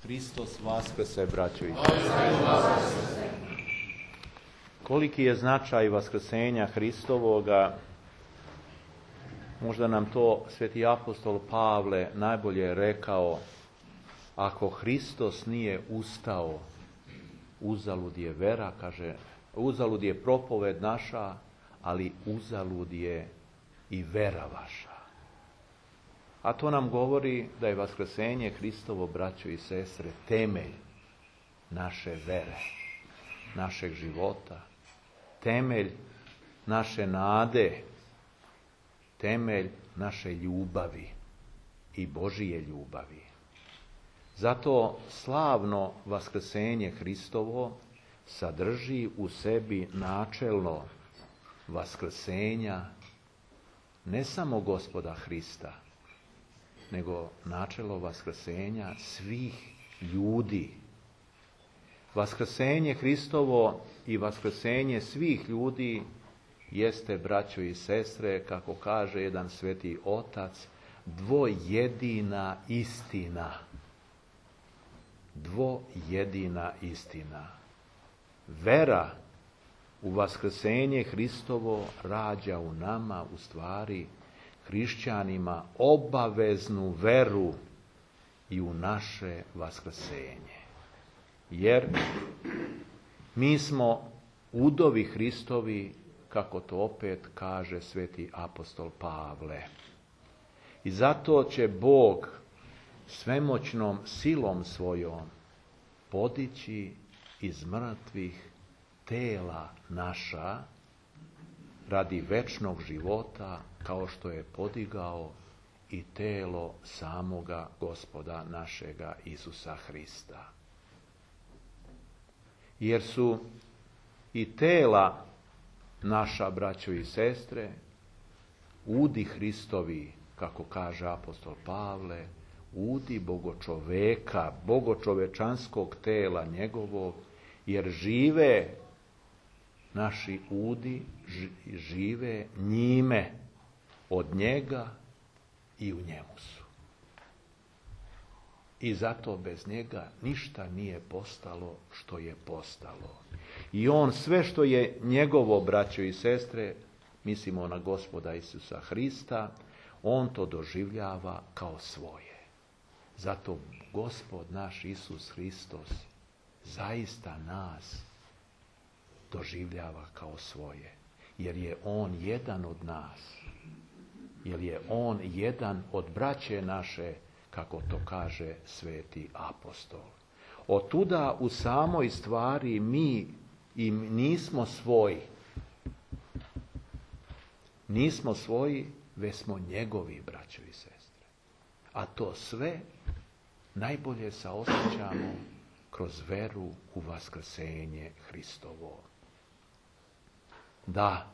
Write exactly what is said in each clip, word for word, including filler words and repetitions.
Hristos vaskrse, braćo i sestre. Koliki je značaj vaskrsenja Hristovoga, možda nam to sveti apostol Pavle najbolje rekao: ako Hristos nije ustao, uzalud je vera, kaže, uzalud je propoved naša, ali uzalud je i vera vaša. A to nam govori da je vaskrsenje Hristovo, braćo i sestre, temelj naše vere, našeg života, temelj naše nade, temelj naše ljubavi i Božije ljubavi. Zato slavno vaskrsenje Hristovo sadrži u sebi načelno vaskrsenja ne samo Gospoda Hrista, nego načelo vaskrsenja svih ljudi. Vaskrsenje Hristovo i vaskrsenje svih ljudi jeste, braćo i sestre, kako kaže jedan sveti otac, dvojedina istina. Dvojedina istina. Vera u vaskrsenje Hristovo rađa u nama, u stvari, hrišćanima, obaveznu veru i u naše vaskrsenje. Jer mi smo udovi Hristovi, kako to opet kaže sveti apostol Pavle. I zato će Bog svemoćnom silom svojom podići iz mrtvih tela naša radi večnog života, kao što je podigao i telo samoga Gospoda našega Isusa Hrista. Jer su i tela naša, braćo i sestre, udi Hristovi, kako kaže apostol Pavle, udi bogočoveka, bogočovečanskog tela njegovog, jer žive naši udi, žive njime, od njega i u njemu su. I zato bez njega ništa nije postalo što je postalo. I on sve što je njegovo, braćo i sestre, mislimo na Gospoda Isusa Hrista, on to doživljava kao svoje. Zato Gospod naš Isus Hristos zaista nas doživljava kao svoje. Jer je on jedan od nas. Jer je on jedan od braće naše, kako to kaže sveti apostol. Otuda u samoj stvari mi i nismo svoji. Nismo svoji, već smo njegovi, braćo i sestre. A to sve najbolje saosjećamo kroz veru u vaskrsenje Hristovo. Da,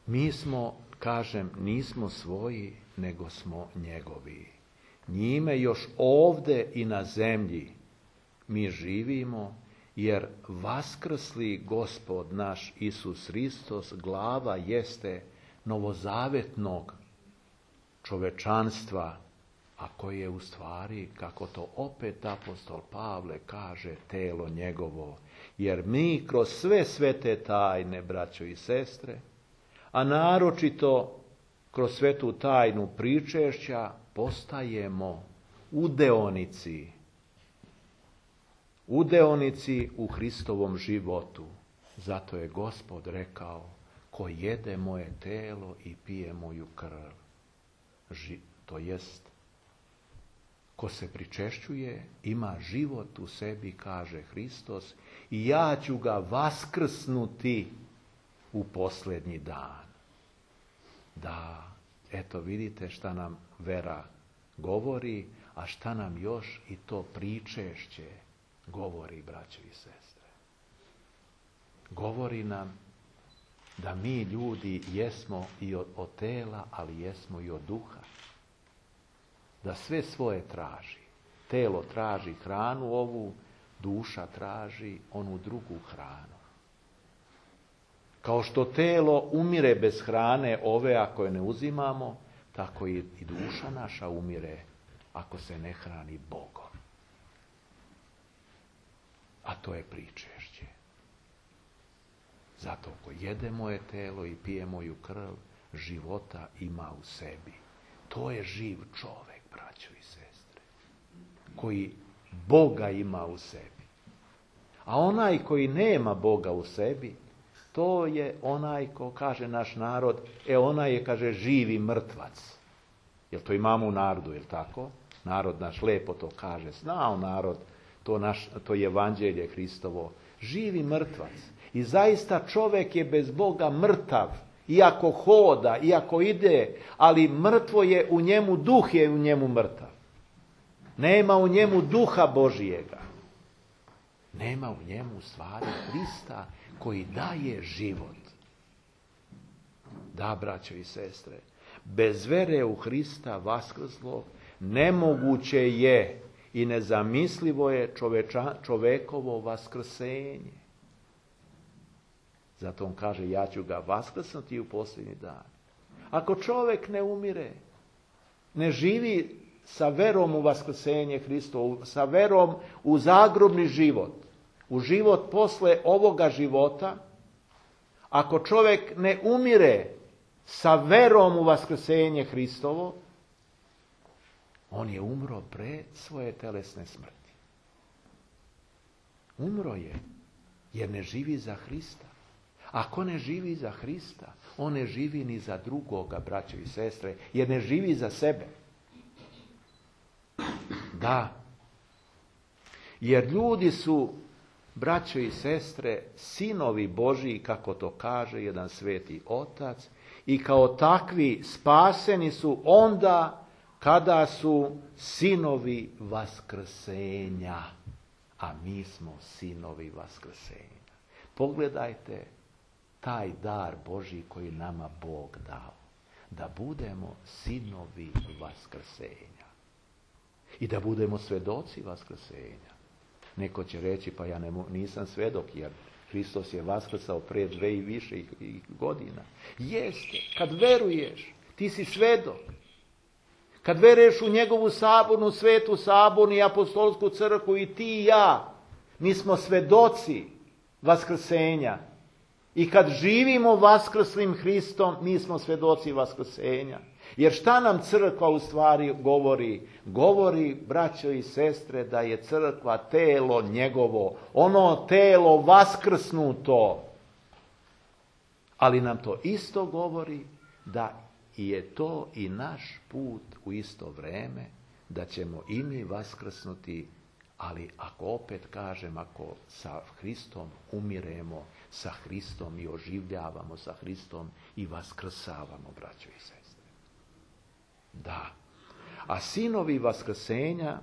mi smo, kažem, nismo svoji, nego smo njegovi. Njime još ovde i na zemlji mi živimo, jer vaskrsli Gospod naš Isus Hristos glava jeste novozavetnog čovečanstva, a koje je u stvari, kako to opet apostol Pavle kaže, telo njegovo. Jer mi kroz sve svete tajne, braćo i sestre, a naročito kroz svetu tajnu pričešća, postajemo udeonici. Udeonici u Hristovom životu. Zato je Gospod rekao: ko jede moje telo i pije moju krv, Ži, to jest, ko se pričešćuje, ima život u sebi, kaže Hristos, i ja ću ga vaskrsnuti u posljednji dan. Da, eto vidite šta nam vera govori, a šta nam još i to pričešće govori, braćo i sestre. Govori nam da mi ljudi jesmo i od, od tela, ali jesmo i od duha. Da sve svoje traži. Telo traži hranu ovu, duša traži onu drugu hranu. Kao što telo umire bez hrane ove ako je ne uzimamo, tako i duša naša umire ako se ne hrani Bogom. to je pričešće. Zato ko jede moje telo i pije moju krv, života ima u sebi. To je živ čovjek, braćo i sestre, koji Boga ima u sebi. A onaj koji nema Boga u sebi, to je onaj ko, kaže naš narod, e onaj je, kaže, živi mrtvac. Jel to imamo u narodu, jel tako? Narod naš lepo to kaže. Znao narod, to, naš, to je evanđelje Hristovo. Živi mrtvac. I zaista čovjek je bez Boga mrtav. Iako hoda, iako ide, ali mrtvo je u njemu, duh je u njemu mrtav. Nema u njemu duha Božijega. Nema u njemu u stvari Hrista koji daje život. Da, braćo i sestre, bez vere u Hrista vaskrslog nemoguće je i nezamislivo je čoveča, čovekovo vaskrsenje. Zato on kaže, ja ću ga vaskrsnuti u posljednji dan. Ako čovjek ne umire, ne živi sa verom u vaskrsenje Hristovo, sa verom u zagrobni život, u život posle ovoga života, ako čovjek ne umire sa verom u vaskrsenje Hristovo, on je umro pre svoje telesne smrti. Umro je, jer ne živi za Hrista. Ako ne živi za Hrista, on ne živi ni za drugoga, braćo i sestre, jer ne živi za sebe. Da, jer ljudi su, braćo i sestre, sinovi Božiji, kako to kaže jedan sveti otac, i kao takvi spaseni su onda kada su sinovi vaskrsenja, a mi smo sinovi vaskrsenja. Pogledajte taj dar Božji koji nama Bog dao, da budemo sinovi vaskrsenja i da budemo svedoci vaskrsenja. Neko će reći, pa ja ne, nisam svedok, jer Hristos je vaskrsao pre dve i više godina. Jeste, kad veruješ, ti si svedok. Kad veruješ u njegovu sabornu, svetu sabornu i apostolsku crkvu, i ti i ja, mi smo svedoci vaskrsenja. I kad živimo vaskrslim Hristom, mi smo svedoci vaskrsenja. Jer šta nam crkva u stvari govori? Govori, braćo i sestre, da je crkva telo njegovo, ono telo vaskrsnuto. Ali nam to isto govori da je to i naš put u isto vreme, da ćemo i mi vaskrsnuti, ali ako opet kažem, ako sa Hristom umiremo, sa Hristom i oživljavamo sa Hristom i vaskrsavamo, braćo i sestre. Da. A sinovi vaskrsenja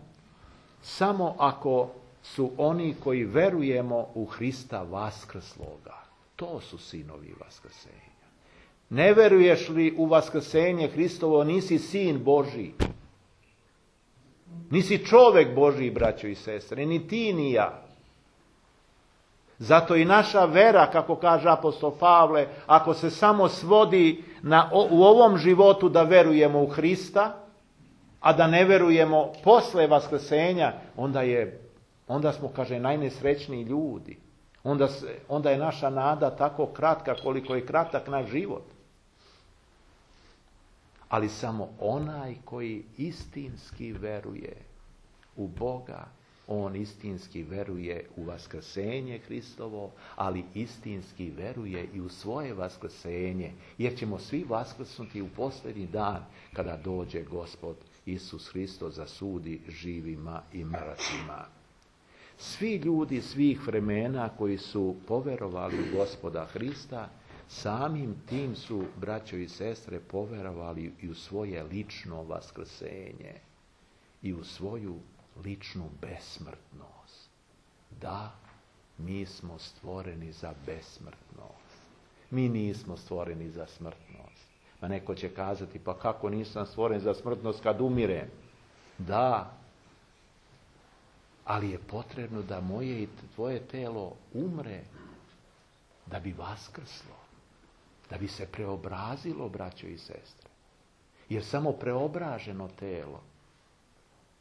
samo ako su oni koji verujemo u Hrista vaskrsloga. To su sinovi vaskrsenja. Ne veruješ li u vaskrsenje Hristovo, nisi sin Božji. Nisi čovjek Božji, braćo i sestre, ni ti ni ja. Zato i naša vera, kako kaže apostol Pavle, ako se samo svodi na, u ovom životu da verujemo u Hrista, a da ne verujemo posle vaskrsenja, onda, je, onda smo, kaže, najnesrećniji ljudi. Onda, se, onda je naša nada tako kratka koliko je kratak naš život. Ali samo onaj koji istinski veruje u Boga, on istinski veruje u vaskrsenje Hristovo, ali istinski veruje i u svoje vaskrsenje, jer ćemo svi vaskrsnuti u posljednji dan kada dođe Gospod Isus Hristos za sudi živima i mrtvima. Svi ljudi svih vremena koji su poverovali u Gospoda Hrista, samim tim su, braćo i sestre, poverovali i u svoje lično vaskrsenje i u svoju ličnu besmrtnost. Da, mi smo stvoreni za besmrtnost. Mi nismo stvoreni za smrtnost. Pa neko će kazati, pa kako nisam stvoren za smrtnost kad umirem? Da, ali je potrebno da moje i tvoje telo umre da bi vaskrslo, da bi se preobrazilo, braćo i sestre. Jer samo preobraženo telo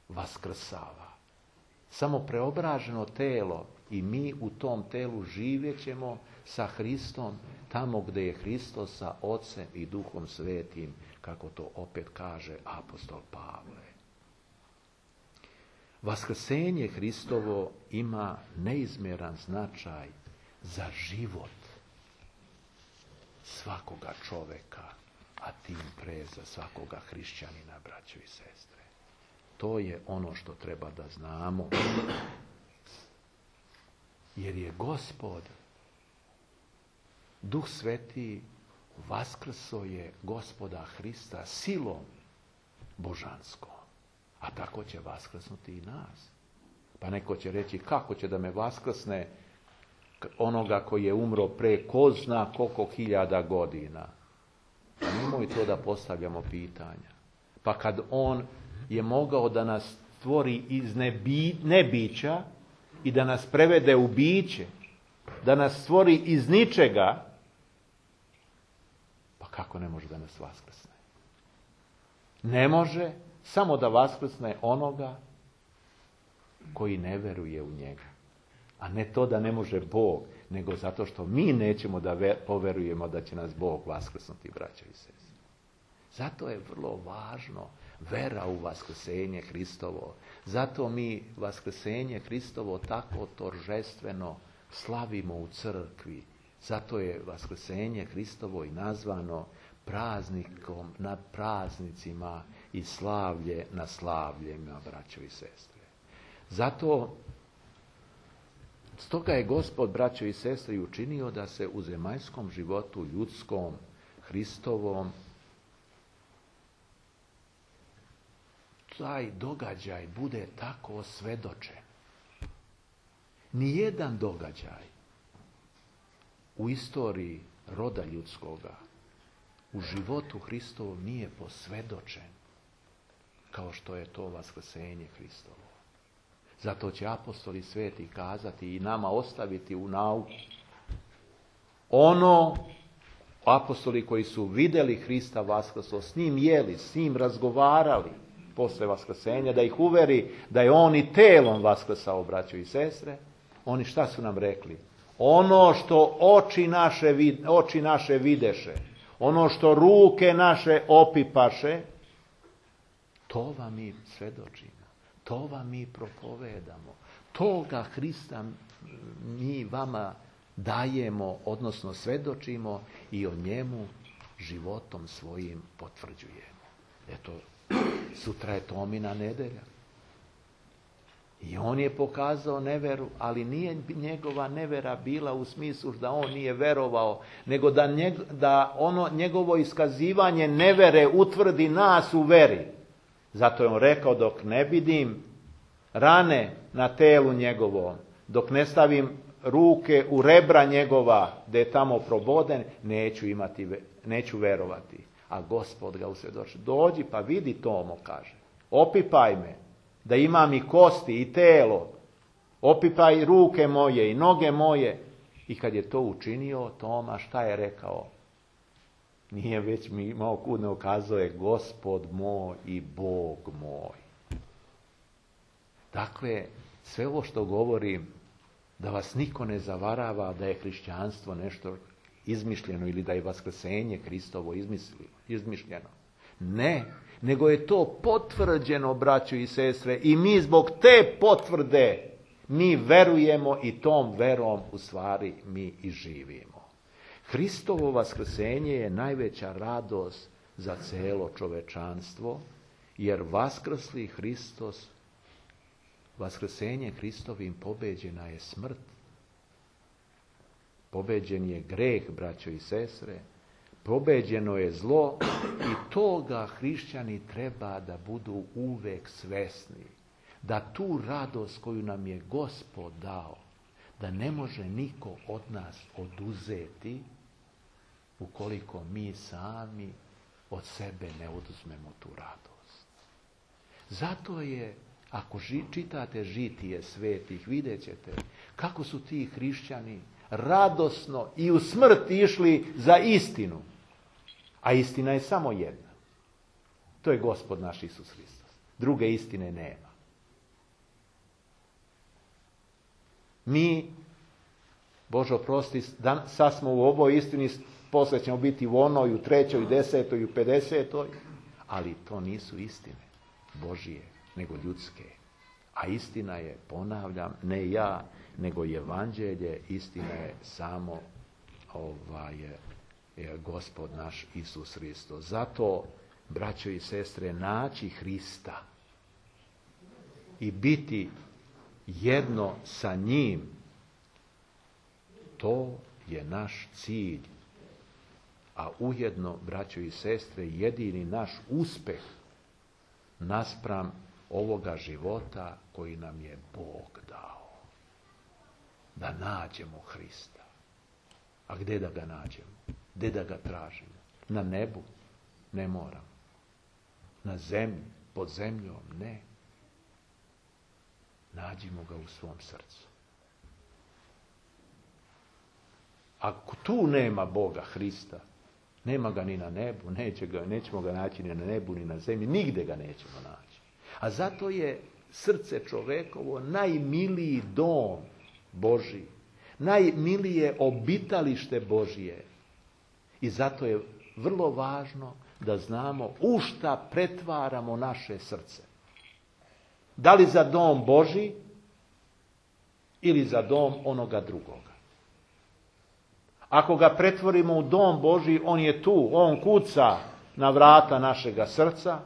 vaskrsava. Samo preobraženo telo I mi u tom telu živjet ćemo sa Hristom tamo gdje je Hristos sa Ocem i Duhom Svetim, kako to opet kaže apostol Pavle. Vaskrsenje Hristovo ima neizmjeran značaj za život svakoga čoveka, a tim pre za svakoga hrišćanina, braćo i sestre. To je ono što treba da znamo. Jer je Gospod, Duh Sveti, vaskrso je Gospoda Hrista silom božanskom. A tako će vaskrsnuti i nas. Pa neko će reći, kako će da me vaskrsne onoga koji je umro pre ko zna koliko hiljada godina. Pa nemoj to da postavljamo pitanja. Pa kad on je mogao da nas stvori iz nebi, nebića i da nas prevede u biće, da nas stvori iz ničega, pa kako ne može da nas vaskrsne? Ne može samo da vaskrsne onoga koji ne veruje u njega. A ne to da ne može Bog, nego zato što mi nećemo da ver, poverujemo da će nas Bog vaskrsnuti, braćo i sestre. Zato je vrlo važno vera u vaskrsenje Hristovo. Zato mi vaskrsenje Hristovo tako toržestveno slavimo u crkvi. Zato je vaskrsenje Hristovo i nazvano praznikom nad praznicima i slavlje na slavljima, braćo i sestre. Zato, stoga je Gospod, braćo i sestre, učinio da se u zemaljskom životu ljudskom, Hristovom, taj događaj bude tako osvedočen. Nijedan događaj u istoriji roda ljudskoga, u životu Hristovom nije posvedočen kao što je to vaskrsenje Hristovo. Zato će apostoli sveti kazati i nama ostaviti u nauku ono, apostoli koji su vidjeli Hrista vaskrso, s njim jeli, s njim razgovarali posle vaskrsenja, da ih uveri da je on i telom vaskrsao, braćo i sestre, oni šta su nam rekli? Ono što oči naše, oči naše videše, ono što ruke naše opipaše, to vam mi svedočimo, to vam mi propovedamo, toga Hrista mi vama dajemo, odnosno svedočimo i o njemu životom svojim potvrđujemo. Eto, sutra je Tomina nedelja. I on je pokazao neveru, ali nije njegova nevera bila u smislu da on nije verovao, nego da, njeg, da ono njegovo iskazivanje nevere utvrdi nas u veri. Zato je on rekao, dok ne vidim rane na telu njegovom, dok ne stavim ruke u rebra njegova, da je tamo proboden, neću imati, neću verovati. A Gospod ga usvjedoči. Dođi pa vidi, Tomo, kaže. Opipaj me, da imam i kosti i telo. Opipaj ruke moje i noge moje. I kad je to učinio, Toma šta je rekao? Nije već mi imao kud ne ukazuje, Gospod moj i Bog moj. Dakle, sve ovo što govorim, da vas niko ne zavarava da je hrišćanstvo nešto izmišljeno ili da je vaskrsenje Hristovo izmišljeno. Ne, nego je to potvrđeno, braćo i sestre, i mi zbog te potvrde mi verujemo i tom verom u stvari mi i živimo. Hristovo vaskrsenje je najveća radost za celo čovečanstvo, jer vaskrsli Hristos, vaskrsenje Hristovim pobeđena je smrt. Pobeđen je greh, braćo i sestre, pobeđeno je zlo i toga hrišćani treba da budu uvek svesni. Da tu radost koju nam je Gospod dao, da ne može niko od nas oduzeti ukoliko mi sami od sebe ne oduzmemo tu radost. Zato je, ako ži, čitate žitije svetih, vidjet ćete kako su ti hrišćani radosno i u smrt išli za istinu. A istina je samo jedna. To je Gospod naš Isus Hristos. Druge istine nema. Mi, Bože oprosti, sad smo u ovoj istini, poslije ćemo biti u onoj, u trećoj, u desetoj, u pedesetoj, ali to nisu istine Božije, nego ljudske. A istina je, ponavljam, ne ja, nego evanđelje, istina je samo ovaj, je Gospod naš Isus Hristos. Zato, braćo i sestre, naći Hrista i biti jedno sa njim, to je naš cilj. A ujedno, braćo i sestre, jedini naš uspeh naspram ovoga života koji nam je Bog dao. Da nađemo Hrista. A gdje da ga nađemo? Gdje da ga tražimo? Na nebu? Ne moramo. Na zemlji? Pod zemljom? Ne. Nađimo ga u svom srcu. Ako tu nema Boga, Hrista, nema ga ni na nebu, neće ga, nećemo ga naći ni na nebu, ni na zemlji, nigde ga nećemo naći. A zato je srce čovekovo najmiliji dom Božji, najmilije obitalište Božje. I zato je vrlo važno da znamo u šta pretvaramo naše srce. Da li za dom Božji ili za dom onoga drugoga. Ako ga pretvorimo u dom Božji, on je tu, on kuca na vrata našega srca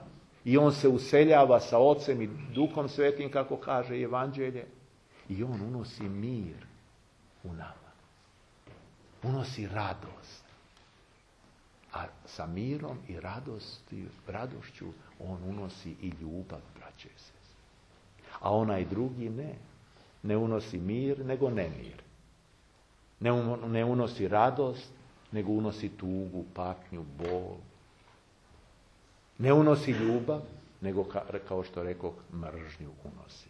i on se useljava sa Ocem i Duhom Svetim, kako kaže Evanđelje, i on unosi mir u nama. Unosi radost. A sa mirom i radosti, radošću on unosi i ljubav, braće i sestre. A onaj drugi ne. Ne unosi mir, nego nemir. Ne unosi radost, nego unosi tugu, patnju, bol. Ne unosi ljubav, nego, kao što rekao, mržnju unosi.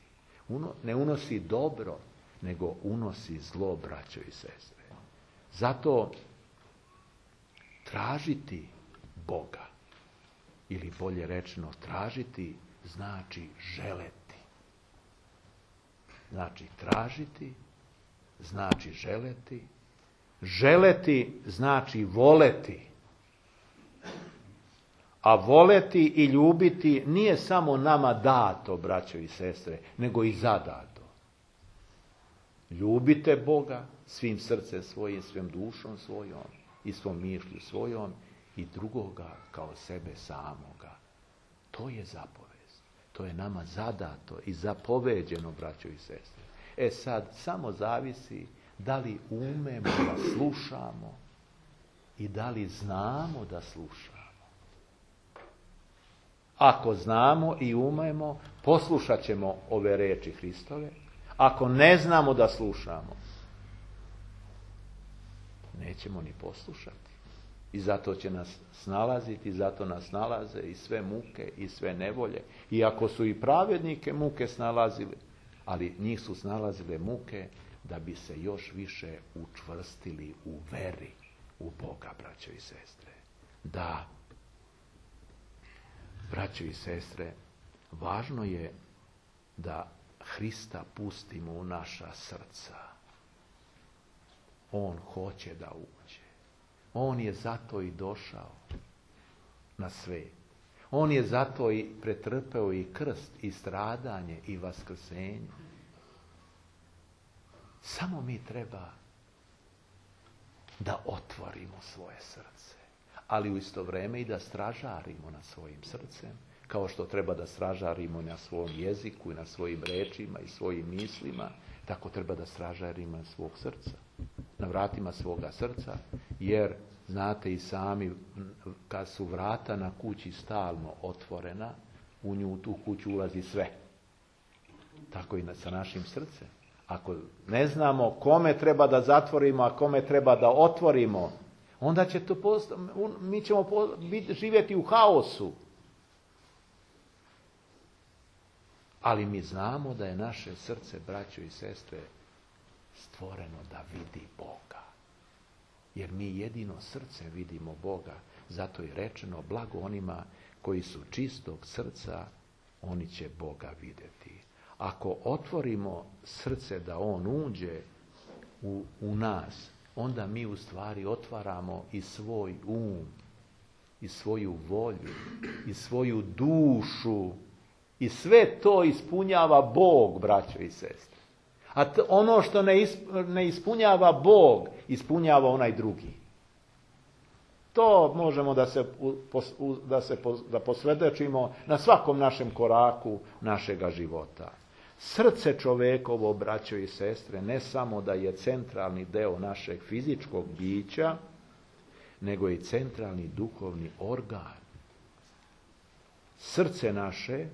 Uno, ne unosi dobro, nego unosi zlo, braćo i sestre. Zato tražiti Boga, ili bolje rečeno, tražiti znači želeti. Znači tražiti, znači želeti. Želeti znači voleti. A voleti i ljubiti nije samo nama dato, braćo i sestre, nego i zadato. Ljubite Boga svim srcem svojim, svim dušom svojom i svom mišlju svojom i drugoga kao sebe samoga. To je zapovest. To je nama zadato i zapoveđeno, braćo i sestre. E sad, samo zavisi da li umemo da slušamo i da li znamo da slušamo. Ako znamo i umemo, poslušat ćemo ove reči Hristove. Ako ne znamo da slušamo, nećemo ni poslušati. I zato će nas snalaziti, zato nas nalaze i sve muke i sve nevolje. Iako su i pravednike muke snalazili, ali njih su snalazile muke da bi se još više učvrstili u veri u Boga, braćo i sestre. Da, braćo i sestre, važno je da Hrista pustimo u naša srca. On hoće da uđe. On je zato i došao na svijet. On je zato i pretrpeo i krst, i stradanje, i vaskrsenje. Samo mi treba da otvorimo svoje srce, ali u isto vrijeme i da stražarimo nad svojim srcem, kao što treba da stražarimo na svom jeziku i na svojim rečima i svojim mislima, tako treba da stražarimo na svog srca, na vratima svoga srca, jer znate i sami, kad su vrata na kući stalno otvorena, u nju, u tu kuću ulazi sve. Tako i sa našim srcem. Ako ne znamo kome treba da zatvorimo, a kome treba da otvorimo, onda će to post... mi ćemo živjeti u haosu. Ali mi znamo da je naše srce, braćo i sestre, stvoreno da vidi Boga. Jer mi jedino srce vidimo Boga. Zato je rečeno, blago onima koji su čistog srca, oni će Boga vidjeti. ako otvorimo srce da on uđe u, u nas, onda mi u stvari otvaramo i svoj um, i svoju volju, i svoju dušu, i sve to ispunjava Bog, braćo i sestre. A t- ono što ne, isp- ne ispunjava Bog, ispunjava onaj drugi. To možemo da se, u, da se da posvjedočimo na svakom našem koraku našega života. Srce čovekovo, braćo i sestre, ne samo da je centralni deo našeg fizičkog bića, nego i centralni duhovni organ. Srce naše,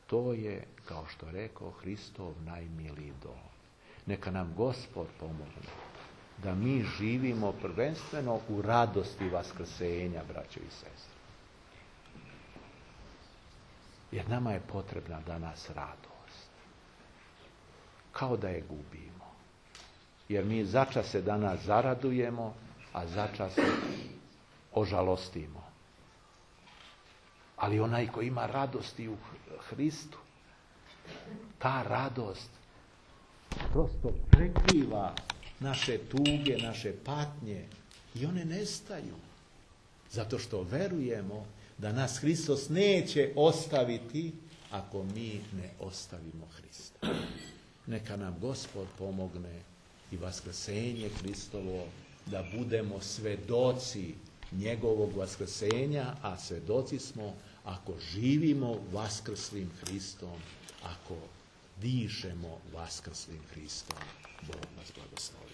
to je, kao što rekao, Hristov najmiliji dom. Neka nam Gospod pomogne da mi živimo prvenstveno u radosti vaskrsenja, braćo i sestre. Jer nama je potrebna danas radost. Kao da je gubimo. Jer mi začas se danas zaradujemo, a začas se ožalostimo. Ali onaj ko ima radosti u Hristu, ta radost prosto prekriva naše tuge, naše patnje i one nestaju. Zato što verujemo da nas Hristos neće ostaviti ako mi ne ostavimo Hrista. Neka nam Gospod pomogne i vaskrsenje Hristovo da budemo svedoci njegovog vaskrsenja, a svedoci smo ako živimo vaskrslim Hristom, ako dišemo vaskrslim Hristom. Bog nas blagoslovi.